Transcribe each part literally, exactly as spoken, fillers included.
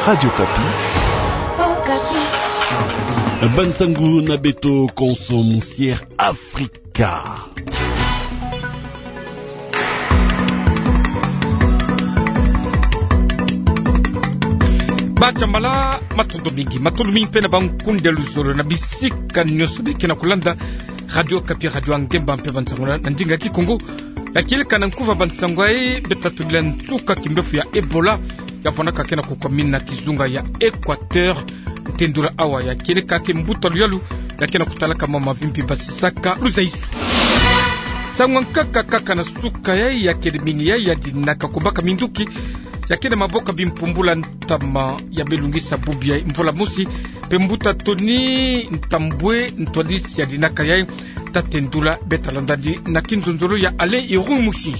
Radio Okapi. Bansangu na beto konso Musière Afrika. Batsambala, matondo mingi, matondo mingi mpe na bankundi ya luzolo na bisika nyonso beke na kulanda Radio Okapi, radio ya ngemba mpe bansangu na, na ndinga ya Kikongo. Ya kieleka na nkufi ya bansangu yayi, beta tulila nsuka kimbevo ya Ebola ya vwandaka ke na kukwamina kizunga ya Équateur. Tendula awa ya kieleka ke mbuta luyalu ya ke na kutalaka mama mavimpi basisaka luzaisu. Nsangu ya nkaka kaka na suka yayi ya kele mingi yayi ya dinaka kubaka minduki ya ke na maboko ya bimpumbulu ya ntama ya belungisa bubu ya mvula mosi, mpe mbuta Tony Ntambwe, ntwadisi ya dinaka yayi, ta tendula, beta landa ndi na kinzonzolo ya Alain Irung Mushi.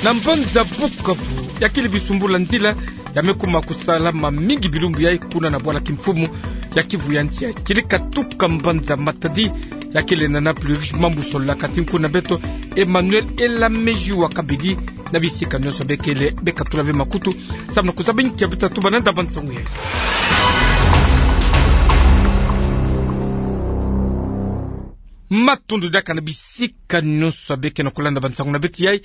Na mbanza Bukavu, ya kele bisumbulu ya nzila ya me kuma kusalama mingi bilumbu yayi kuna na bwala kimfumu ya Kivu ya nsi ya kieleka tuka mbanza Matadi, ya kele na Nana Plurish Mambusola, kati nkuna beto Emmanuel Elameji wa Kabidi. Na bisika nyonso bekele, beka tula ve makutu samu na kuzaba nkia beta tuba nanda bansangu yayi. Matondo diaka na bisika nyonso beke na kulanda bansangu na beto yayi.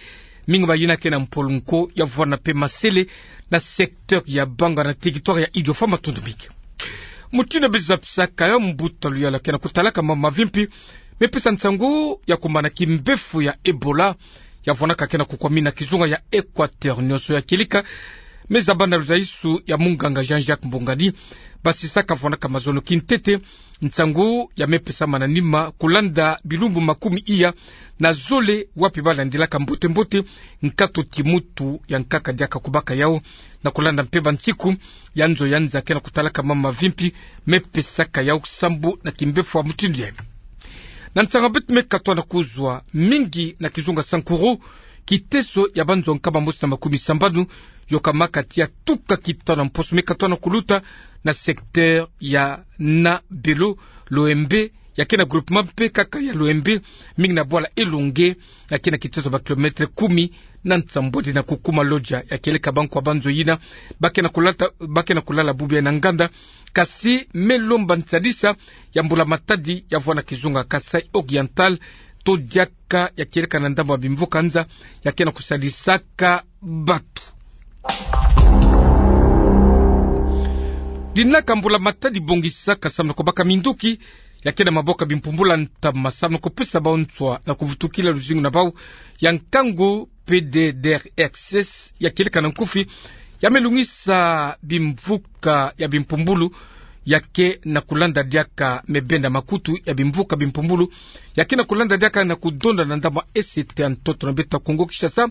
Mingi bayina ke na mpolonko ya vwanda mpe masele na secteur ya Bangwa na territoire ya Idiofa, matondo mingi. Mutindu bezabisaka yo, mbuta luyalu ke na kutalaka mama mavimpi me pesa nsangu ya kumbana kimbevo ya Ebola ya vwandaka ke na kukwamina kizunga ya Équateur nyonso ya kieleka. Me zaba na luzaisu ya munganga Jean-Jacques Mbongani, basisaka vwandaka mazono kintete, nsangu ya me pesama na nima kulanda bilumbu makumi iya na zole wapi balandilaka mbote-mbote nkatu kimutu ya nkaka diaka kubaka yau, na kulanda mpe bansiku ya nzo ya nza ke na kutalaka mama mavimpi me pesaka yau sambu na kimbevo ya mutindu yayi. Na nsangu beto me katwa na kuzwa, mingi na kizunga Sankuru, kiteso ya banzo nkama mosi na makumi sambanu yokamaka tia tuka kitanu ya mposo me katwa na kuluta na secteur ya Nabelo, Loembe, ya ke na groupement mpe kaka ya Loembe, mingi na bwala Elonge, ya ke na kiteso ba kilomètre kumi na nsambwadi na kukuma. Loja ya kieleka bankwa banzo yina ba ke na kulata, ba ke na kulala bubu yayi na nganda, kasi me lomba nsadisa ya mbula matadi ya vwanda kizunga Kasaï Oriental, to diaka ya kieleka na ndambu ya bimvuka nza ya ke na kusadisaka batu. Dinaka mbula matadi bongisaka samu na kubaka minduki ya ke na maboko ya bimpumbulu ya ntama samu na kupesa bau nswa na kuvutukila luzingu na bau, ya nkangu P D D R X S ya kieleka na nkufi, ya me lungisa bimvuka ya bimpumbulu ya ke na kulanda diaka, me benda makutu ya bimvuka bimpumbulu ya ke na kulanda diaka na kudonda na ndambu ya S T ya ntoto na beto ya Kongo Kinshasa,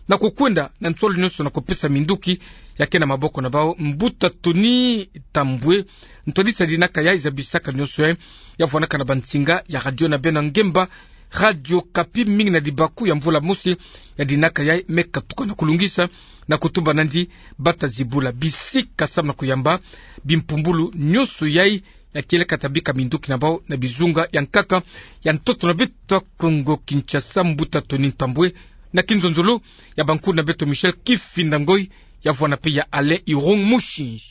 na kukwenda na nsolo nyonso na kupesa minduki ya ke na maboko na bau. Mbuta Tony Ntambwe, ntwadisi ya dinaka yayi zabisaka nyonso yayi, ya vwandaka na bansinga ya radio na beno ya ngemba, Radio Okapi, mingi na libaku ya mvula mosi ya dinaka yayi me katuka na kulungisa, na kutuba nandi bata zibula bisika samu na kuyamba bimpumbulu nyonso yayi ya kieleka ta bika minduki na bau na bizunga ya nkaka ya ntoto na beto ya Kongo Kinshasa. Mbuta Tony Ntambwe, na kinzonzolo ya bankuna beto Michel Kifinda Ngoi, ya vwanda mpe ya Alain Irung Mushi.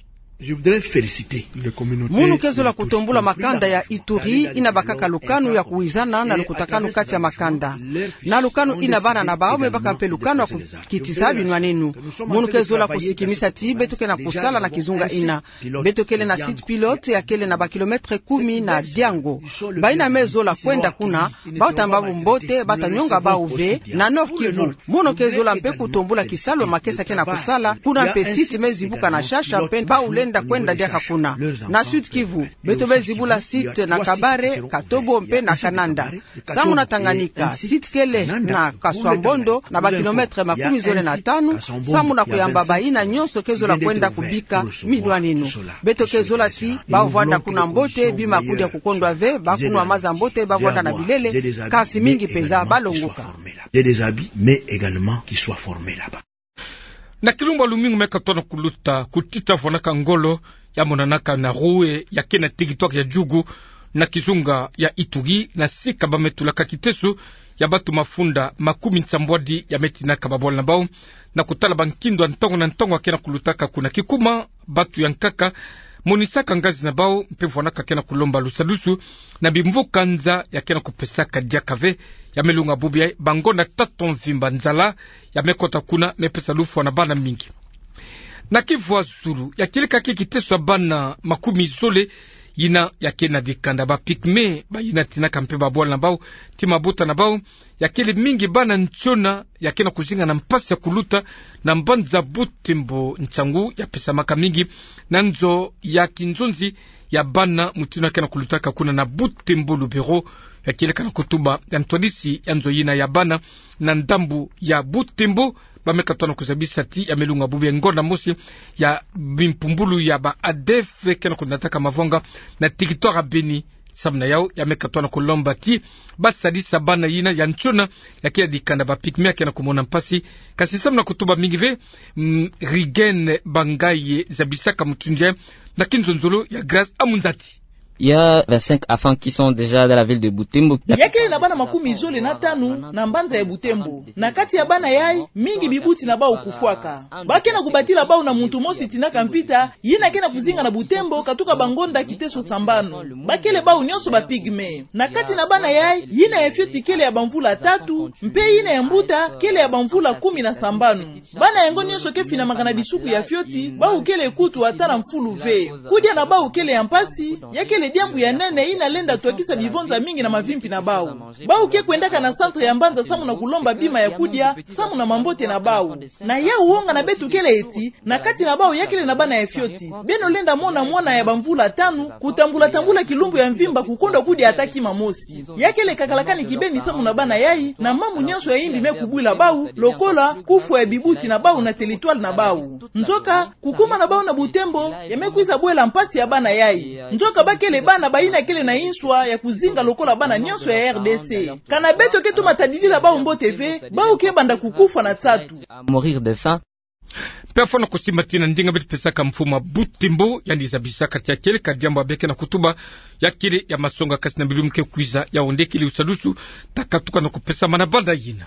Je voudrais féliciter les communautés. Mono ke zola kutombula makanda ya Ituri ina bakaka lukanu ya kuwizana na lukutakanu kati ya makanda. Na lukanu ina bana na bau me baka mpe lukanu ya kukitisa binwaninu. Mono ke zola kusikimisa ti beto ke na kusala na kizunga ina. Beto kele na site pilote ya kele na ba kilomètre kumi na Diango. Bayina me zola kwenda kuna, bau ta mbabu mbote, bata nyonga bau ve na Nord-Kivu. Mono ke zola mpe kutombula kisalu makesa ke na kusala kuna, mpe site me zibuka na Shasha mpe bau lenda kwenda diaka kuna. Na Sud-Kivu, beto me zibula site na Kabare, Katobo mpe na Kananda. Samu na Tanganyika, site kele na Kaswa-Mbondo na ba kilomètre makumi zole na tanu, samu na kuyamba bayina nyonso ke zola kwenda kubika minwaninu. Beto ke zola ti bau vwanda kuna mbote, bima kudia kukondwa ve, ba kunwa maza mbote, ba vwanda na bilele, kasi mingi mpenza ba longoka. J'ai des habits, mais également qu'ils soient formés là-bas. Na kilumbu ya lumingu me katono kuluta, kutita vwanaka ngolo ya monanaka na Roue, ya ke na territoire ya Djugu, na kizunga ya Ituri, na sika ba me tulaka kiteso ya batu mafunda makumi nsambwadi ya me tinaka babwala na bau, na kutala bankindo ya ntango na ntango ya ke na kulutaka kuna. Kikuma, bantu ya nkaka monisaka ngazi na bau mpe vwanaka ke na kulomba lusadusu na bimvuka nza ya ke na kupesaka diaka ve. Ya me lunga bubu yayi, bangonda tatu mvimba nzala ya me kota kuna, me pesa lufwa na bana mingi. Na Kivu ya zulu, ya kieleka kiteso ya bana makumi zole yina ya ke na dikanda, ba pygmées, bayina tinaka mpe babwala na bau ti mabota na bau, ya kele mingi bana ntiona ya ke na kuzinga na mpasi ya kuluta na mbanza Butembo. Nsangu ya pesamaka mingi na nzo ya kinzonzi ya bana, mutindu ya ke na kulutaka kuna na Butembo. Lubero ya kieleka na kutuba ya ntwadisi ya nzo yina ya bana na ndambu ya Butembo, ba me katuka na kuzabisa ti ya me lunga bubu yayi, ngonda mosi ya bimpumbulu ya ba ADF ke na kunataka mavwanga na territoire ya Beni. Samu na yau, ya me katuka na kulomba ti ba sadisa bana yina ya ntiona ya ke ya dikanda, ba pygmées, ya ke na kumona mpasi. Kasi samu na kutuba mingi ve, mm, Rigene Bangaye zabisaka mutindu yayi na kinzonzolo ya Grace Amunzati. Il y a vingt-cinq enfants qui sont déjà dans la ville de Butembo. Ya kele na bana makumi zole na tanu na mbanza ya Butembo. Na kati ya bana yayi, mingi bibuti na bau kufwaka. Ba ke na kubadila bau na muntu mosi tinaka mpita, yina ke na kuzinga na Butembo katuka bangonda kiteso sambanu. Ba kele bau nionso ba pygmées. Na kati na bana yayi, yina ya fioti kele ya bamvula tatu, mpe yina ya mbuta kele ya bamvula kumi na sambanu. Bana yango nionso ke finamaka na disuku ya fioti, bau kele kutu ata na mfulu ve. Kudia na bau kele ya mpasi, ya kele diambu ya nene yina lenda twakisa bivonza mingi na mavimpi na bau. Bau ke kwendaka na centre ya mbanza samu na kulomba bima ya kudia, samu na mambote na bau. Na yau, wonga na beto kele eti, na kati na bau ya kele na bana ya fioti. Beno lenda mona mwana ya bamvula tanu kutambula-tambula kilumbu ya mvimba, kukondwa kudia ata kima mosi. Ya kele kakalakani kibeni samu na bana yayi, na mambu nionso ya yimbi me kubwila bau, lokola kufwa ya bibuti na bau na territoire na bau. Nzoka, kukuma na bau na Butembo ya me kwiza bwela mpasi ya bana yayi. Nzoka ba kele bana bayina kele na inswa ya kuzinga lokola bana nionso ya R D C. Kana beto ke toma tadidila bau mbote ve, bau ke banda kukufwa na nsatu. À mourir de faim. Mpe fwana kusimba ti na ndinga beto pesaka mfumu ya Butembo, yandi zabisaka ti ya kieleka diambu ya beke na kutuba, ya kele ya masonga, kasi na bilumbu ke kwiza, ya onde kele lusadusu ta katuka na kupesama na banda yina.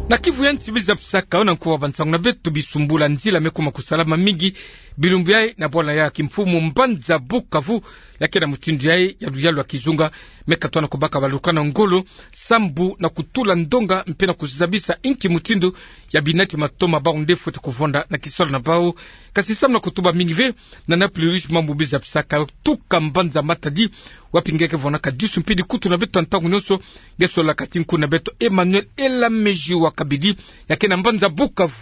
Na Kivu ya nsi, beto zabisaka yo na nkuwa bansangu na beto, bisumbula nzila me kuma kusalama mingi bilumbu yayi na bwala ya kimfumu mbanza Bukavu. Ya ke na mutindu yayi ya luyalu ya kizunga me katuka na kubaka balukana ngolo, sambu na kutula ndonga mpe na kuzabisa inki mutindu ya binati matoma bau nde fweti kuvonda na kisalu na bau. Kasi samu na kutuba mingi ve, na Nana Plurish Mambu, beto zabisaka yo tuka mbanza Matadi, wapi nge ke vwanaka disu mpe dikutu na beto ya ntangu nionso, nge solaka tinku na beto Emmanuel Elameji wa Kabidi, ya ke na mbanza Bukavu.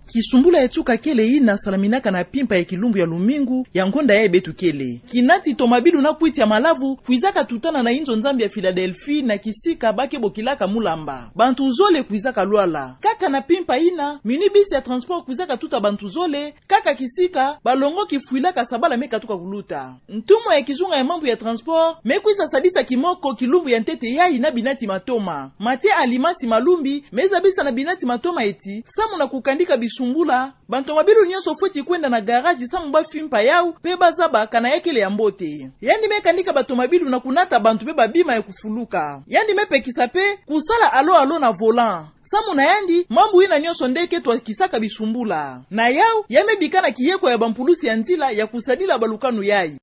Kisumbula ya tuka kele yina salaminaka na mpimpa ya kilumbu ya lumingu ya ngonda yayi beto kele. Kinati tomabilu na kwiti ya malavu kwizaka tutana na inzo Nzambi ya Philadelphie na kisika ba ke bokilaka Mulamba. Bantu zole kwizaka lwala. Kaka na mpimpa yina, minibus ya transport kwizaka tuta bantu zole, kaka kisika balongoki fwila kasabala me katuka kuluta. Ntumwa ya kizunga ya mambu ya transport me kwiza sadisa kimoko kilumbu ya ntete yayi na binati matoma. Mathieu Alimasi Malumbi me zabisa na binati matoma eti, samu na kukandika bisumbula, bantomabilu nionso fweti kwenda na garage samu ba fimpa yau mpe ba zaba kana ya kele ya mbote. Yandi me kandika bantomabilu na kunata bantu mpe babima ya kufuluka. Yandi me pekisa mpe kusala alo-alo na volant. Samu na yandi, mambu yina nionso nde ke twakisaka bisumbula. Na yau, ya me bika na kiyeko ya bampulusi ya nzila ya kusadila balukanu yayi.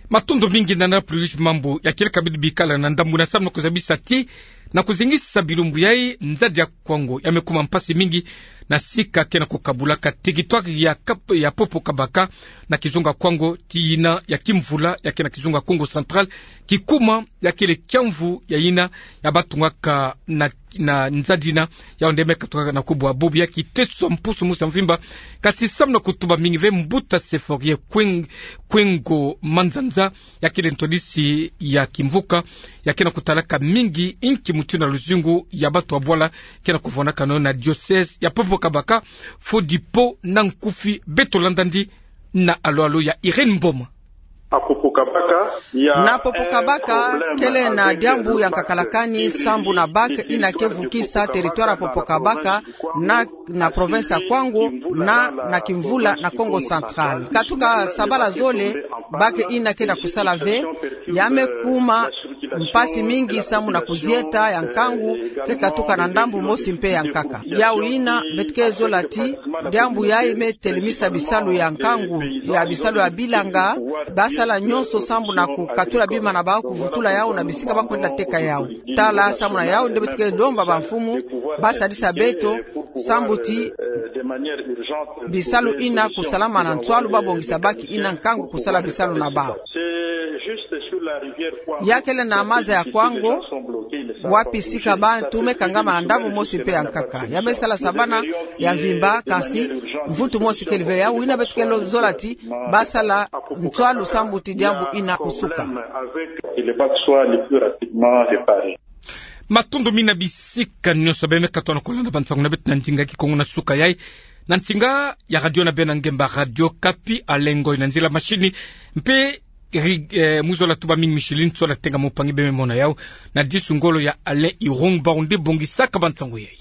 Matondo mingi Nana Plurish Mambu. Ya kieleka beto bikala na ndambu na samu na kuzabisa ti, na kuzengisa bilumbu yayi, nzadi ya Kwango ya me kuma mpasi mingi na sika ke na kukabulaka territoire ya Kap-, ya Popo Kabaka na kizunga Kwango, ti yina ya Kimvula ya ke na kizunga Kongo Central, kikuma ya kele kiamvu ya yina ya batungaka na, na nzadi yina, yau nde me katuka na kubwa bubu ya kiteso mpusu musi ya mvimba. Kasi samu na kutuba mingi ve, mbuta Seforie Kweng-, Kwengo Manzanza, ya kele ntwadisi ya kimvuka, ya ke na kutalaka mingi inki mutindu na luzingu ya bantu ya bwala ke na kuvwanaka na yo na diocèse ya Popo Kabaka. Fodipo na nkufi, beto landa yandi na alo-alo ya Irène Mboma. Na Popokabaka kele na diambu ya nkakalakani sambu na bac ina ke vukisa territoire ya Popokabaka na, na province ya Kwango na, na Kimvula na Kongo Central. Katuka sabala zole, bac ina ke na kusala ve, ya me kuma mpasi mingi sambu na kuzieta ya nkangu ke katuka na ndambu mosi mpe ya nkaka. Yau ina beto ke zola ti diambu yayi me telemisa bisalu ya nkangu, ya bisalu ya bilanga, ba sala nyonso sambu na kukatula bima na bawu, kuvutula yawu na bisika ba kwenda teka yawu. Tala sambu na yawu nde beto ke lomba bamfumu ba sadisa beto sambu ti bisalu ina kusalama na nswalu, ba bongisa bac ina nkangu kusala bisalu na bawu. Ya kele na maza ya Kwango, wapi sika bantu me kangama na ndambu mosi mpe ya nkaka. Ya me sala sabana ya mvimba, kansi mvutu mosi kele ve. Yau ina beto ke zola ti ba sala nswalu sambu ti diambu ina kusuka. Matondo mingi na bisika nyonso beno me katuka na kolanda bansangu na beto na ndinga Kikongo na suka yayi. Na nsinga ya radio na beno ya ngemba, Radio Okapi, Alain Ngoy na nzila machine, mpe ri-, eh, mu zola tuba mingi Micheline Sola Tenga, mopangi beno me mona yawu na disu ngolo ya Alain Irung, bawu nde bongisaka bansangu yayi.